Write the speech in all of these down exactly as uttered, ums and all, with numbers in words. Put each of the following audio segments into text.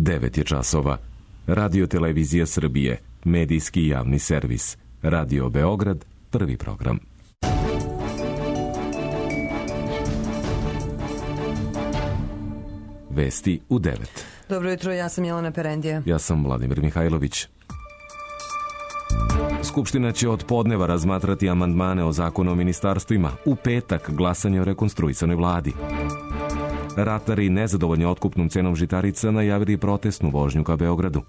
devet je časova. Radio Televizija Srbije, medijski javni servis. Radio Beograd, prvi program. Vesti u devet. Dobro jutro, ja sam Jelena Perendija. Ja sam Vladimir Mihajlović. Skupština će od podneva razmatrati amandmane o zakonu o ministarstvima. U petak glasanje o rekonstruisanoj vladi. Ratari nezadovoljni otkupnom cenom žitarica najavili protestnu vožnju ka Beogradu.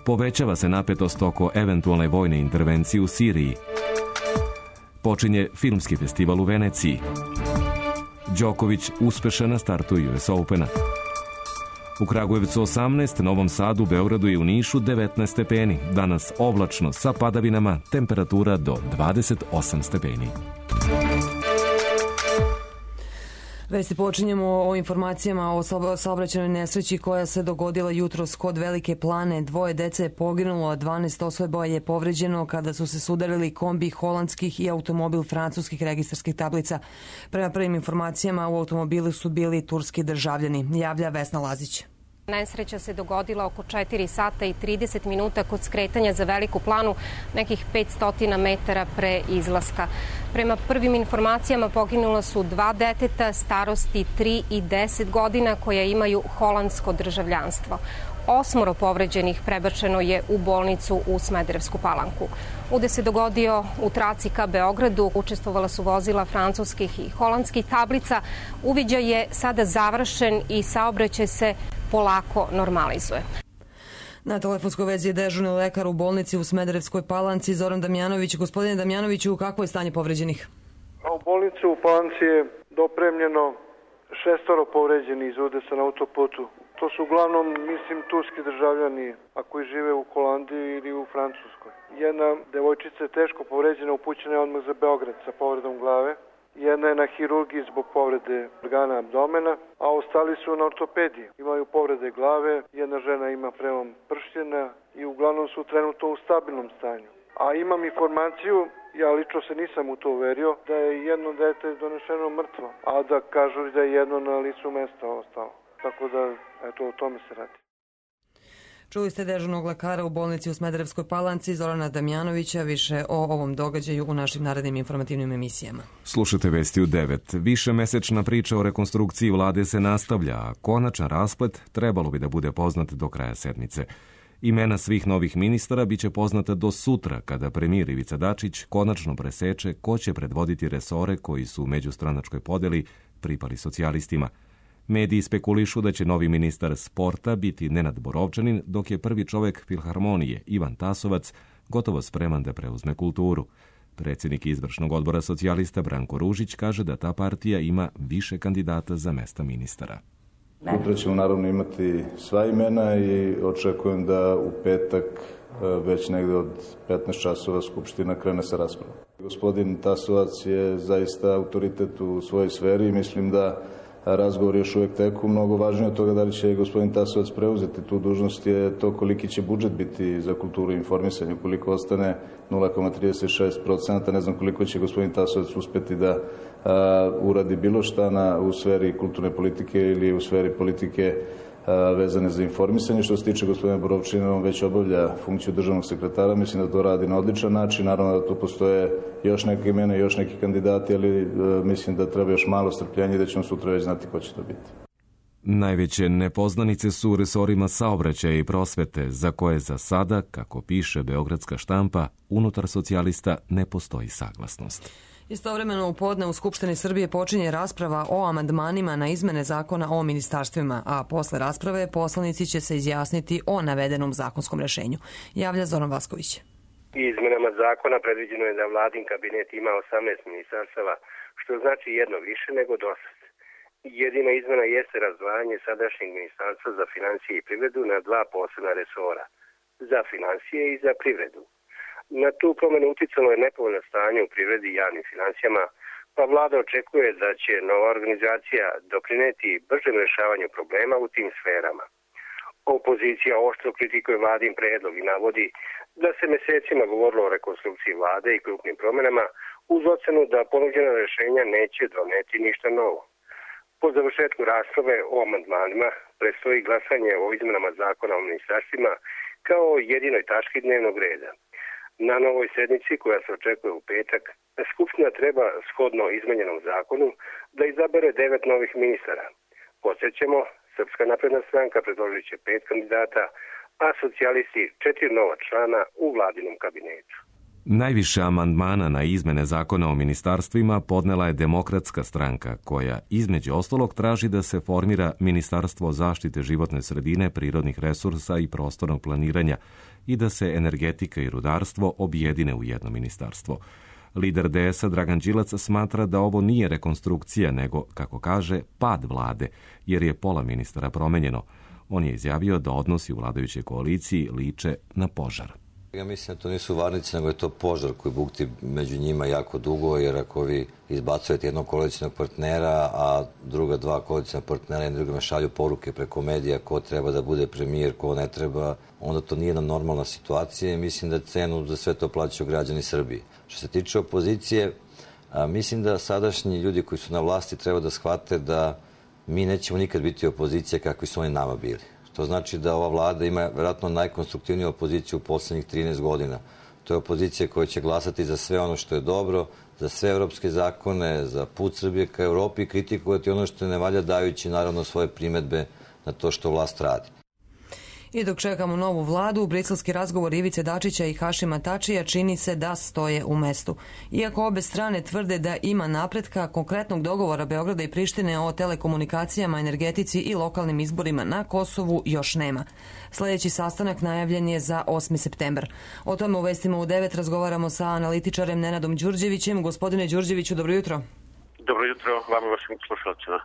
Povećava se napetost oko eventualne vojne intervencije u Siriji. Počinje filmski festival u Veneciji. Đoković uspešan na startu U S Opena. U Kragujevcu osamnaest, Novom Sadu, Beogradu i u Nišu devetnaest stepeni. Danas oblačno sa padavinama, temperatura do dvadeset osam stepeni. Vesti počinjemo o informacijama o saobraćajnoj nesreći koja se dogodila jutros kod Velike Plane. Dvoje dece je poginulo, a dvanaest osoba je povređeno kada su se sudarili kombi holandskih i automobil francuskih registarskih tablica. Prema prvim informacijama u automobilu su bili turski državljani, javlja Vesna Lazić. Nesreća se dogodila oko četiri sata i trideset minuta kod skretanja za Veliku Planu, nekih petsto metara pre izlaska. Prema prvim informacijama poginula su dva deteta starosti tri i deset godina koja imaju holandsko državljanstvo. Osmoro povređenih prebačeno je u bolnicu u Smederevsku Palanku. Udes se dogodio u traci ka Beogradu. Učestvovala su vozila francuskih i holandskih tablica. Uviđaj je sada završen i saobraćaj se polako normalizuje. Na telefonskoj vezi je dežurni lekar u bolnici u Smederevskoj Palanci, Zoran Damjanović. Gospodine Damjanoviću, kakvo je stanje povređenih? A u bolnici u Palanci je dopremljeno šestoro povređenih iz udesa na autoputu. To su uglavnom, mislim, turski državljani, a koji žive u Holandiji ili u Francuskoj. Jedna devojčica je teško povređena, upućena je odmah za Beograd sa povredom glave. Jedna je na hirurgiji zbog povrede organa abdomena, a ostali su na ortopediji. Imaju povrede glave, jedna žena ima prelom pršljena i uglavnom su trenutno u stabilnom stanju. A imam informaciju, ja lično se nisam u to uverio, da je jedno dete donešeno mrtvo, a da kažu da je jedno na licu mesta ostalo. Tako da, eto, o tome se radi. Čuli ste dežurnog lekara u bolnici u Smederevskoj Palanci, Zorana Damjanovića. Više o ovom događaju u našim narednim informativnim emisijama. Slušajte Vesti u devet. Višemesečna priča o rekonstrukciji vlade se nastavlja, a konačan rasplet trebalo bi da bude poznat do kraja sedmice. Imena svih novih ministara biće poznata do sutra, kada premijer Ivica Dačić konačno preseče ko će predvoditi resore koji su u međustranačkoj podeli pripali socijalistima. Mediji spekulišu da će novi ministar sporta biti Nenad Borovčanin, dok je prvi čovek Filharmonije, Ivan Tasovac, gotovo spreman da preuzme kulturu. Predsjednik izvršnog odbora socijalista Branko Ružić kaže da ta partija ima više kandidata za mesta ministara. Sutra ćemo naravno imati sva imena i očekujem da u petak već negde od petnaest časova Skupština krene sa raspravom. Gospodin Tasovac je zaista autoritet u svojoj sferi i mislim da razgovor još uvijek teku. Mnogo važnije od toga da li će gospodin Tasovac preuzeti tu dužnost je to koliki će budžet biti za kulturu i informisanje. Ukoliko ostane nula zarez trideset šest posto, ne znam koliko će gospodin Tasovac uspeti da a, uradi bilo šta na, u sferi kulturne politike ili u sferi politike a, vezane za informisanje. Što se tiče gospodina Borovčina, on već obavlja funkciju državnog sekretara. Mislim da to radi na odličan način. Naravno da tu postoje još neke imena i još neki kandidati, ali a, mislim da treba još malo strpljenja i da ćemo sutra već znati ko će to biti. Najveće nepoznanice su u resorima saobraćaja i prosvete, za koje za sada, kako piše beogradska štampa, unutar socijalista ne postoji saglasnost. Istovremeno u podne u Skupštini Srbije počinje rasprava o amandmanima na izmene zakona o ministarstvima, a posle rasprave poslanici će se izjasniti o navedenom zakonskom rešenju, javlja Zoran Vasković. Izmenama zakona predviđeno je da vladin kabinet ima osamnaest ministarstava, što znači jedno više nego dosad. Jedina izmena jeste razdvajanje sadašnjeg ministarstva za financije i privredu na dva posebna resora, za financije i za privredu. Na tu promenu uticalo je nepovoljno stanje u privredi i javnim financijama, pa vlada očekuje da će nova organizacija doprineti bržem rešavanju problema u tim sferama. Opozicija oštro kritikuje vladin predlog i navodi da se mesecima govorilo o rekonstrukciji vlade i krupnim promenama uz ocenu da ponuđena rešenja neće doneti ništa novo. Po završetku rasprave o amandmanima predstoji glasanje o izmenama zakona o ministarstvima kao jedinoj tački dnevnog reda. Na novoj sednici, koja se očekuje u petak, Skupština treba, shodno izmenjenom zakonu, da izabere devet novih ministara. Podsjećamo, Srpska napredna stranka predložit će pet kandidata, a socijalisti četiri nova člana u vladinom kabinetu. Najviše amandmana na izmene zakona o ministarstvima podnela je Demokratska stranka, koja između ostalog traži da se formira Ministarstvo zaštite životne sredine, prirodnih resursa i prostornog planiranja i da se energetika i rudarstvo objedine u jedno ministarstvo. Lider D S-a Dragan Đilac smatra da ovo nije rekonstrukcija, nego, kako kaže, pad vlade, jer je pola ministara promenjeno. On je izjavio da odnosi u vladajućoj koaliciji liče na požar. Ja mislim da to nisu varnice, nego je to požar koji bukti među njima jako dugo, jer ako vi izbacujete jednog koalicijnog partnera, a druga dva koalicijnog partnera i drugima šalju poruke preko medija ko treba da bude premijer, ko ne treba, onda to nije jedna normalna situacija i mislim da cenu za sve to plaćaju građani Srbije. Što se tiče opozicije, mislim da sadašnji ljudi koji su na vlasti treba da shvate da mi nećemo nikad biti opozicija kakvi su oni nama bili. To znači da ova vlada ima vjerojatno najkonstruktivniju opoziciju u poslednjih trinaest godina. To je opozicija koja će glasati za sve ono što je dobro, za sve evropske zakone, za put Srbije ka Evropi i kritikovati ono što ne valja, dajući naravno svoje primedbe na to što vlast radi. I dok čekamo novu vladu, briselski razgovor Ivice Dačića i Hašima Tačija čini se da stoje u mestu. Iako obe strane tvrde da ima napretka, konkretnog dogovora Beograda i Prištine o telekomunikacijama, energetici i lokalnim izborima na Kosovu još nema. Sljedeći sastanak najavljen je za osmi septembar. O tome u Vestima u devet razgovaramo sa analitičarem Nenadom Đurđevićem. Gospodine Đurđeviću, dobro jutro. Dobro jutro, vama i vašim slušalcima.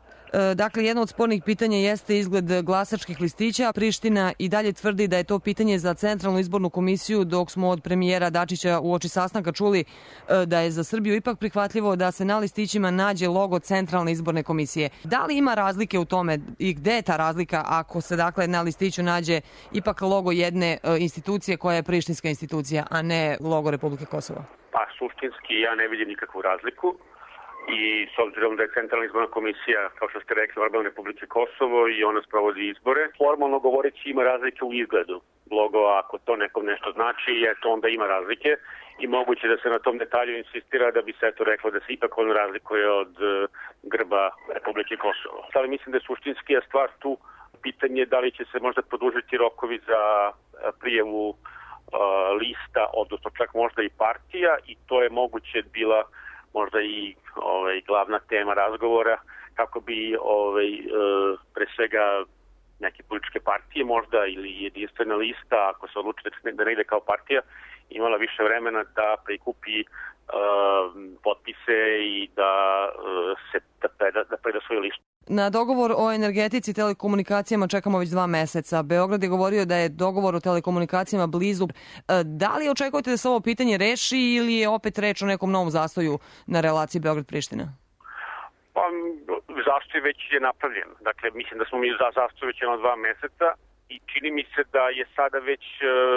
Dakle, jedno od spornih pitanja jeste izgled glasačkih listića. Priština i dalje tvrdi da je to pitanje za Centralnu izbornu komisiju, dok smo od premijera Dačića uoči sastanka čuli da je za Srbiju ipak prihvatljivo da se na listićima nađe logo Centralne izborne komisije. Da li ima razlike u tome i gde je ta razlika ako se dakle na listiću nađe ipak logo jedne institucije koja je prištinska institucija, a ne logo Republike Kosovo? Pa, suštinski ja ne vidim nikakvu razliku. I s obzirom da je Centralna izborna komisija, kao što ste rekli, organ Republike Kosovo i ona sprovodi izbore, formalno govoreći ima razlike u izgledu. Logo, ako to nekom nešto znači, eto onda ima razlike i moguće da se na tom detalju insistira da bi se eto reklo da se ipak on razlikuje od grba Republike Kosovo. Ali mislim da je suštinski stvar tu pitanje da li će se možda produžiti rokovi za prijavu uh, lista, odnosno čak možda i partija, i to je moguće bila možda i ovaj, glavna tema razgovora, kako bi ovaj, e, pre svega neke političke partije možda ili jedinstvena lista, ako se odluči da ne ide kao partija, imala više vremena da prikupi e, potpise i da e, se da preda, da preda svoju listu. Na dogovor o energetici i telekomunikacijama čekamo već dva meseca. Beograd je govorio da je dogovor o telekomunikacijama blizu. Da li očekujete da se ovo pitanje reši ili je opet reč o nekom novom zastoju na relaciji Beograd-Priština? Pa, zastoj već je napravljen. Dakle, mislim da smo mi za zastoj već jedno dva meseca i čini mi se da je sada već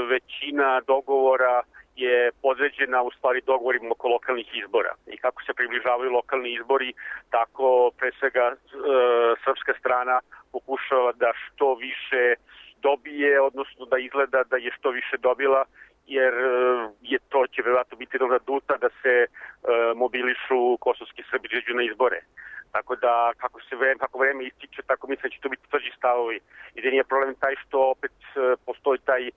većina dogovora je podređena u stvari dogovorima oko lokalnih izbora. I kako se približavaju lokalni izbori, tako pre svega e, srpska strana pokušava da što više dobije, odnosno da izgleda da je što više dobila, jer je to će vjerojatno biti dobra duta da se e, mobilišu kosovski Srbi izađu na izbore. Tako da kako se vreme, kako vreme ističe, tako mislim da će to biti tvrđi stavovi. I da nije problem taj što opet e, postoji taj e,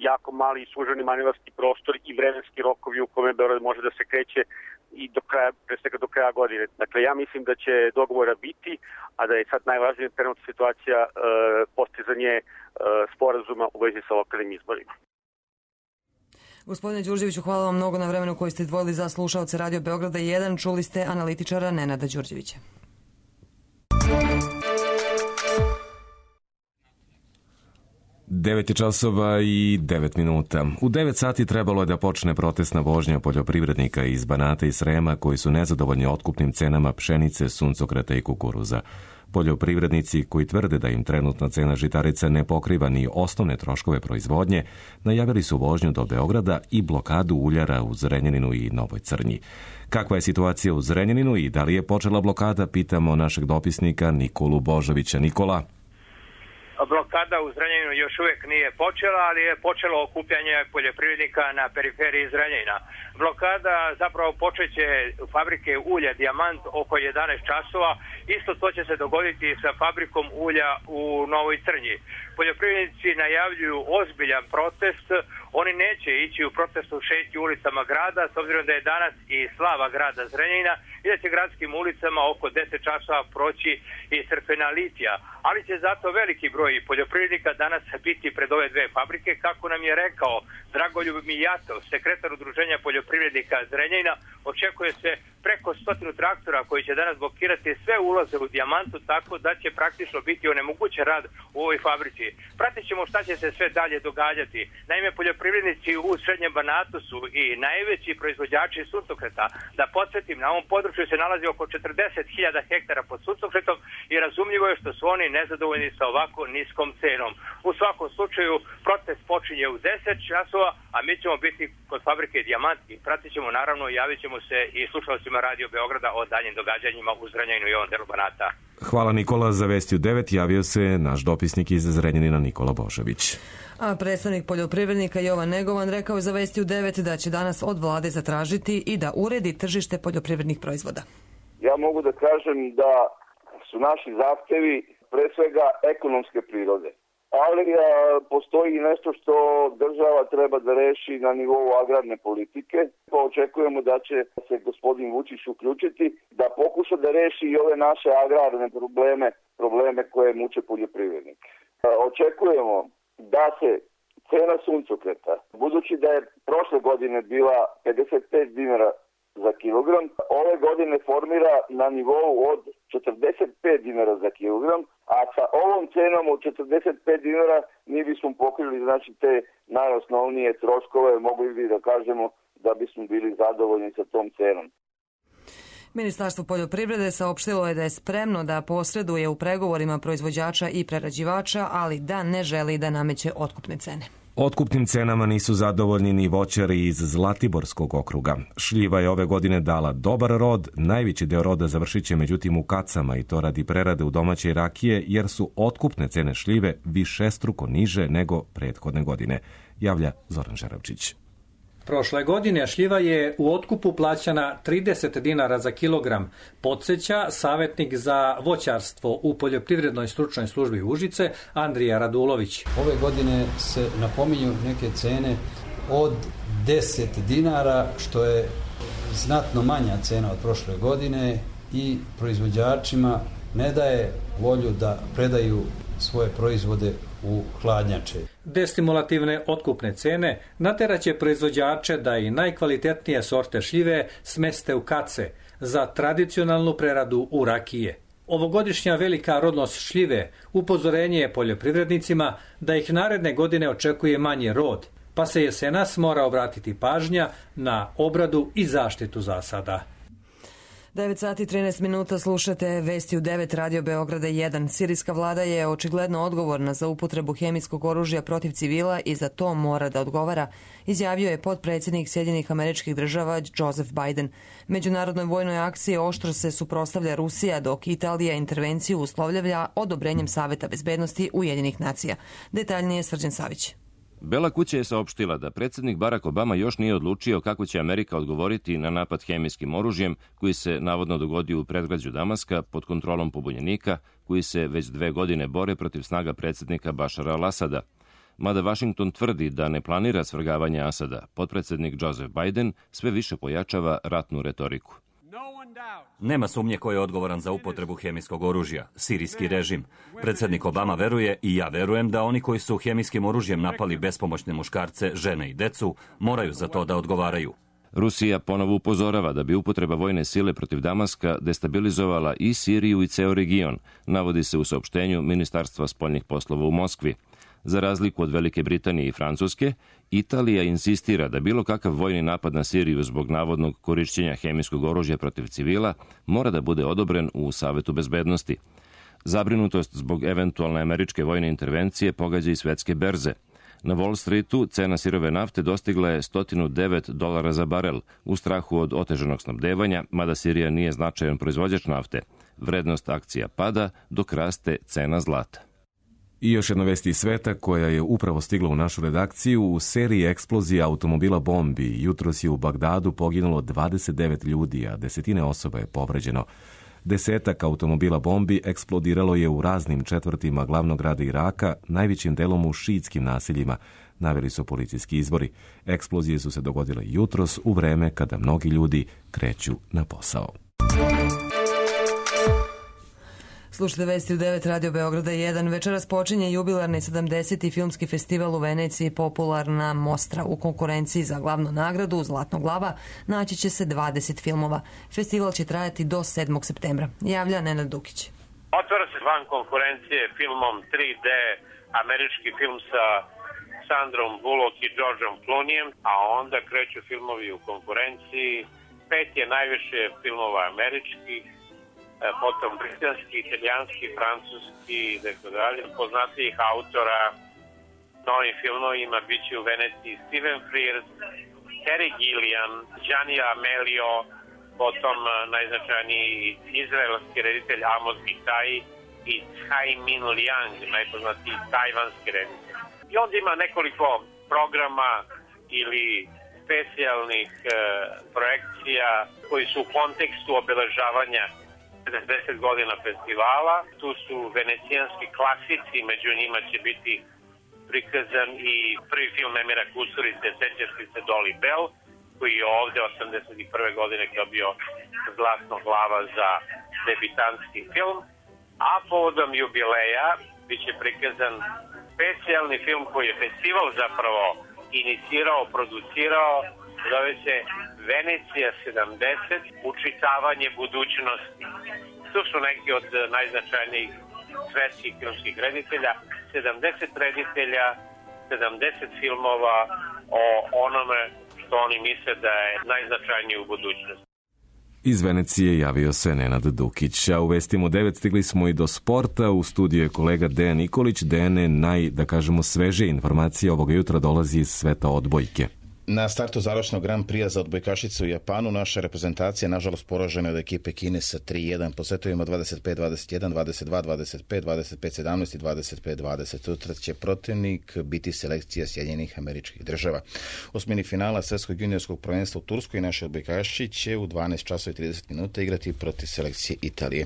jako mali i suženi manevarski prostor i vremenski rokovi u kome Beograd može da se kreće i do kraja, pre svega do kraja godine. Dakle, ja mislim da će dogovora biti, a da je sad najvažnija trenutna situacija e, postizanje e, sporazuma u vezi sa lokalnim izborima. Gospodine Đurđeviću, hvala vam mnogo na vremenu koji ste izdvojili za slušaoce Radio Beograda jedan. Čuli ste analitičara Nenada Đurđevića. devet je časova i devet minuta. U devet sati trebalo je da počne protestna vožnja poljoprivrednika iz Banata i Srema koji su nezadovoljni otkupnim cenama pšenice, suncokreta i kukuruza. Poljoprivrednici koji tvrde da im trenutna cena žitarica ne pokriva ni osnovne troškove proizvodnje, najavili su vožnju do Beograda i blokadu uljara u Zrenjaninu i Novoj Crnji. Kakva je situacija u Zrenjaninu i da li je počela blokada, pitamo našeg dopisnika Nikolu Božovića. Nikola. Blokada u Zrenjaninu još uvijek nije počela, ali je počelo okupljanje poljoprivrednika na periferiji Zrenjanina. Blokada zapravo počeće u fabrike ulja Dijamant oko jedanaest časova. Isto to će se dogoditi sa fabrikom ulja u Novoj Crnji. Poljoprivrednici najavljuju ozbiljan protest. Oni neće ići u protestu šetnju ulicama grada, s obzirom da je danas i slava grada Zrenjanina i da će gradskim ulicama oko deset časova proći i crkvena litija. Ali će zato veliki broj poljoprivrednika danas biti pred ove dve fabrike, kako nam je rekao Dragoljub Mijatov, sekretar udruženja poljoprivrednika Zrenjanina. Očekuje se preko stotinu traktora koji će danas blokirati sve ulaze u Dijamantu, tako da će praktično biti onemogućen rad u ovoj fabrici. Pratit ćemo šta će se sve dalje događati. Naime, poljoprivrednici u Srednjem Banatu su i najveći proizvođači suncokreta. Da podsjetim, na ovom području se nalazi oko četrdeset hiljada hektara pod suncokretom i razumljivo je što su oni nezadovoljni sa ovako niskom cenom. U svakom slučaju, protest počinje u deset časova, a mi ćemo biti kod fabrike Dijamant i pratit ćemo, naravno, javit ćemo se i slušalcima Radio Beograda o daljim događanjima u Zrenjaninu i ovom delu Banata. Hvala Nikola. Za Vesti u devet javio se naš dopisnik iz Zrenjanina Nikola Božović. A predstavnik poljoprivrednika Jovan Negovan rekao je za Vesti u devet da će danas od vlade zatražiti i da uredi tržište poljoprivrednih proizvoda. Ja mogu da kažem da su naši zahtevi pre svega ekonomske prirode. Ali a, postoji nešto što država treba da reši na nivou agrarne politike. Pa očekujemo da će se gospodin Vučić uključiti, da pokuša da reši i ove naše agrarne probleme, probleme koje muče poljoprivrednike. Očekujemo da se cena suncokreta, budući da je prošle godine bila pedeset pet dinara za kilogram, ove godine formira na nivou od četrdeset pet dinara za kilogram, a sa ovom cenom od četrdeset pet dinara mi bismo pokrili, znači, te najosnovnije troškove, mogli bi da kažemo da bismo bili zadovoljni sa tom cenom. Ministarstvo poljoprivrede saopštilo je da je spremno da posreduje u pregovorima proizvođača i prerađivača, ali da ne želi da nameće otkupne cene. Otkupnim cenama nisu zadovoljni ni voćari iz Zlatiborskog okruga. Šljiva je ove godine dala dobar rod, najveći deo roda završit će međutim u kacama i to radi prerade u domaće rakije, jer su otkupne cene šljive višestruko niže nego prethodne godine, javlja Zoran Žeravčić. Prošle godine šljiva je u otkupu plaćana trideset dinara za kilogram, podsjeća savjetnik za voćarstvo u poljoprivrednoj stručnoj službi Užice Andrija Radulović. Ove godine se napominju neke cene od deset dinara, što je znatno manja cena od prošle godine i proizvođačima ne daje volju da predaju svoje proizvode u hladnjače. Destimulativne otkupne cene nateraće proizvođače da i najkvalitetnije sorte šljive smeste u kace za tradicionalnu preradu u rakije. Ovogodišnja velika rodnost šljive upozorenje je poljoprivrednicima da ih naredne godine očekuje manji rod, pa se jesenas mora obratiti pažnja na obradu i zaštitu zasada. devet sati i trinaest minuta slušate Vesti u devet Radio Beograda jedan. Sirijska vlada je očigledno odgovorna za upotrebu hemijskog oružja protiv civila i za to mora da odgovara, izjavio je potpredsjednik Sjedinjenih Američkih Država Joseph Biden. Međunarodnoj vojnoj akciji oštro se suprotstavlja Rusija, dok Italija intervenciju uslovljava odobrenjem Saveta bezbednosti Ujedinjenih nacija. Detaljnije Srđan Savić. Bela kuća je saopštila da predsjednik Barack Obama još nije odlučio kako će Amerika odgovoriti na napad hemijskim oružjem koji se navodno dogodio u predgrađu Damaska pod kontrolom pobunjenika koji se već dve godine bore protiv snaga predsjednika Bašara al-Asada. Mada Washington tvrdi da ne planira svrgavanje Asada, potpredsjednik Joseph Biden sve više pojačava ratnu retoriku. Nema sumnje ko je odgovoran za upotrebu hemijskog oružja, sirijski režim. Predsjednik Obama veruje i ja verujem da oni koji su hemijskim oružjem napali bespomoćne muškarce, žene i decu moraju za to da odgovaraju. Rusija ponovo upozorava da bi upotreba vojne sile protiv Damaska destabilizovala i Siriju i ceo region, navodi se u saopštenju Ministarstva spoljnih poslova u Moskvi. Za razliku od Velike Britanije i Francuske, Italija insistira da bilo kakav vojni napad na Siriju zbog navodnog korišćenja hemijskog oružja protiv civila mora da bude odobren u Savetu bezbednosti. Zabrinutost zbog eventualne američke vojne intervencije pogađa i svetske berze. Na Wall Streetu cena sirove nafte dostigla je sto devet dolara za barel u strahu od otežanog snabdevanja, mada Sirija nije značajan proizvođač nafte. Vrednost akcija pada dok raste cena zlata. I još jedna vest iz sveta koja je upravo stigla u našu redakciju. U seriji eksplozija automobila bombi jutros je u Bagdadu poginulo dvadeset devet ljudi, a desetine osoba je povređeno. Desetak automobila bombi eksplodiralo je u raznim četvrtima glavnog grada Iraka, najvećim delom u šiitskim naseljima, naveli su policijski izvori. Eksplozije su se dogodile jutros u vreme kada mnogi ljudi kreću na posao. Slušajte vesti u devet Radio Beograda jedan. Večeras počinje jubilarni sedamdeseti filmski festival u Veneciji, popularna Mostra. U konkurenciji za glavnu nagradu Zlatno glava naći će se dvadeset filmova. Festival će trajati do sedmog septembra. Javlja Nenad Dukić. Otvara se van konkurencije filmom tri D, američki film sa Sandrom Bullock i Georgeom Clooneyem, a onda kreću filmovi u konkurenciji. Pet je najviše filmova američkih, potom britanski, italijanski, francuski i tako dalje. Poznatijih autora novim filmovima bit će u Veneciji Steven Frears, Terry Gilliam, Gianni Amelio, potom najznačajniji izraelski reditelj Amos Gitai i Tsai Min Liang, najpoznatiji tajvanski reditelj. I onda ima nekoliko programa ili specijalnih e, projekcija koji su u kontekstu obeležavanja sedamdeset godina festivala. Tu su venecijanski klasici, među njima će biti prikazan i prvi film Emira Kusturice, Sećaš li se Dolly Bell, koji je ovde osamdeset prve godine dobio Zlatno glava za debitanski film. A povodom jubileja biće prikazan specijalni film koji je festival zapravo inicirao, producirao, zove se Venecija sedamdeset, učitavanje budućnosti. Tu su neki od najznačajnijih svetskih filmskih reditelja, sedamdeset reditelja, sedamdeset filmova o onome što oni misle da je najznačajnije u budućnosti. Iz Venecije javio se Nenad Dukić, a u vestima devet stigli smo i do sporta. U studiju je kolega Dejan Nikolić. Dejane, naj, da kažemo, sveže informacije ovoga jutra dolazi iz sveta odbojke. Na startu završnog Grand Prix za odbojkašicu u Japanu naša reprezentacija nažalost poražena od ekipe Kine sa tri jedan po setovima dvadeset pet dvadeset jedan, dvadeset dva dvadeset pet, dvadeset pet sedamnaest i dvadeset pet dvadeset. Sutra će protivnik biti selekcija Sjedinjenih Američkih Država. Osmini finala svetskog juniorskog prvenstva u Turskoj naši odbojkaši će u dvanaest časova i trideset minuta igrati protiv selekcije Italije.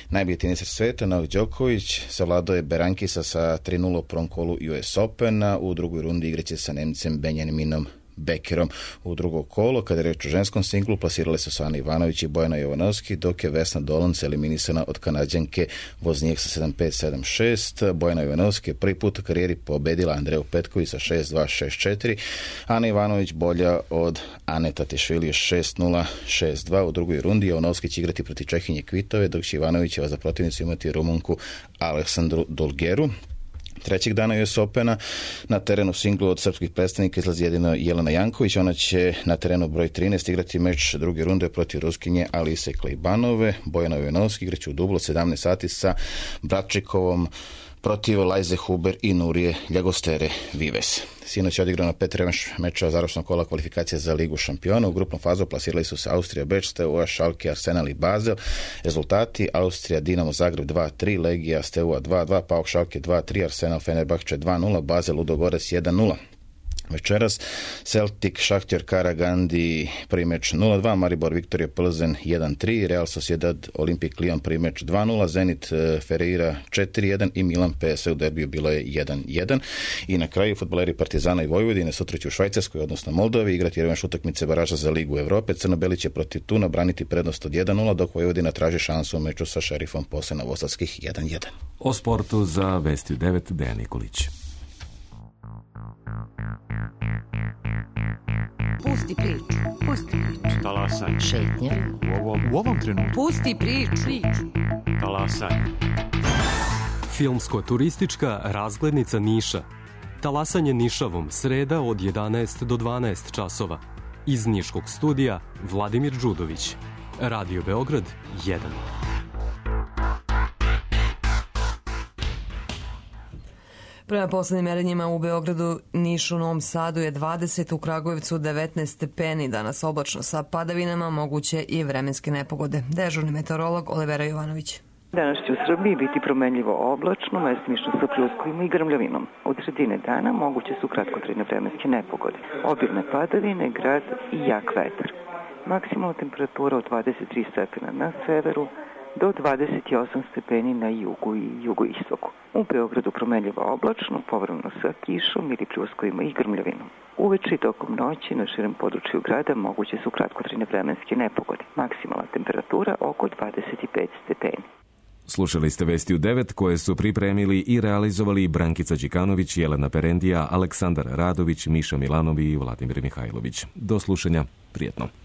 Najbolji teniser sveta Novak Đoković savladao je Berankisa sa tri nula u prvom kolu U S Opena. U drugoj rundi igraće sa Nemcem Benjaminom Bekerom. U drugo kolo, kada je reč o ženskom singlu, plasirale su Ana Ivanović i Bojana Jovanovski, dok je Vesna Dolanc eliminisana od Kanađanke Voznijek sa sedam pet sedam šest. Bojana Jovanovski je prvi put u karijeri pobedila Andreju Petković sa šest dva šest četiri. Ana Ivanović bolja od Ane Tatišvili šest nula šest dva. U drugoj rundi Jovanovski će igrati protiv Čehinje Kvitove, dok će Ivanovićeva za protivnicu imati Rumunku Aleksandru Dolgeru. Trećeg dana U S Opena na terenu singlu od srpskih predstavnika izlazi jedino Jelena Janković. Ona će na terenu broj trinaest igrati meč druge runde protiv Ruskinje Alise Klejbanove. Bojana Jovanovski igraće u dublu sedamnaest sati sa Bratčikovom protiv Lajze Huber i Nurije Ljagostere Vives. Sinoć je odigrano pet revanš meča završnog kola kvalifikacija za Ligu šampiona. U grupnom fazu plasirali su se Austrija, Beč, Steaua, Schalke, Arsenal i Basel. Rezultati: Austrija, Dinamo Zagreb dva tri, Legija, Steaua dva dva, PAOK Schalke dva tri, Arsenal Fenerbahče dva nula, Basel Ludogorets jedan nula. Večeras Celtic, Šahtjor, Karagandi, prvi meč nula dva, Maribor, Viktorija Plzen jedan tri, Real Sociedad, Olimpik Lyon, prvi meč dva nula, Zenit, Ferreira četiri jedan i Milan P S V u derbiju bilo je jedan jedan. I na kraju fudbaleri Partizana i Vojvodine sutra će u Švajcarskoj, odnosno Moldovi, igrati revanš utakmice baraža za Ligu Evrope. Crnobeli će protiv Tuna braniti prednost od jedan nula, dok Vojvodina traži šansu u meču sa Šerifom posle novosadskih jedan jedan. O sportu za Vesti devet Dejan Nikolić. Pusti priču, pusti priču. Talasaj. Šetnje. U ovom, u ovom trenutku. Pusti priču. Talasaj. Filmsko-turistička razglednica Niša. Talasanje Nišavom, sreda od jedanaest do dvanaest časova. Iz Niškog studija Vladimir Đudović. Radio Beograd jedan. Prema poslednjim merenjima u Beogradu, Nišu, Novom Sadu je dvadeset, u Kragujevcu devetnaest stepeni, danas oblačno sa padavinama, moguće i vremenske nepogode. Dežurni meteorolog Olivera Jovanović. Danas će u Srbiji biti promenljivo oblačno, mestimično sa pljuskovima i grmljavinom. Od sredine dana moguće su kratkotrajne vremenske nepogode, obilne padavine, grad i jak vetar. Maksimalna temperatura od dvadeset tri stepena na severu do dvadeset osam stepeni na jugu i jugoistoku. U Beogradu promenljivo oblačno, povremeno sa kišom ili pljuskovima i grmljavinom. Uveče i tokom noći na širem području grada moguće su kratkotrajne vremenske nepogode. Maksimalna temperatura oko dvadeset pet stepeni. Slušali ste Vesti u devet koje su pripremili i realizovali Brankica Đikanović, Jelena Perendija, Aleksandar Radović, Miša Milanovi i Vladimir Mihajlović. Do slušanja, prijetno.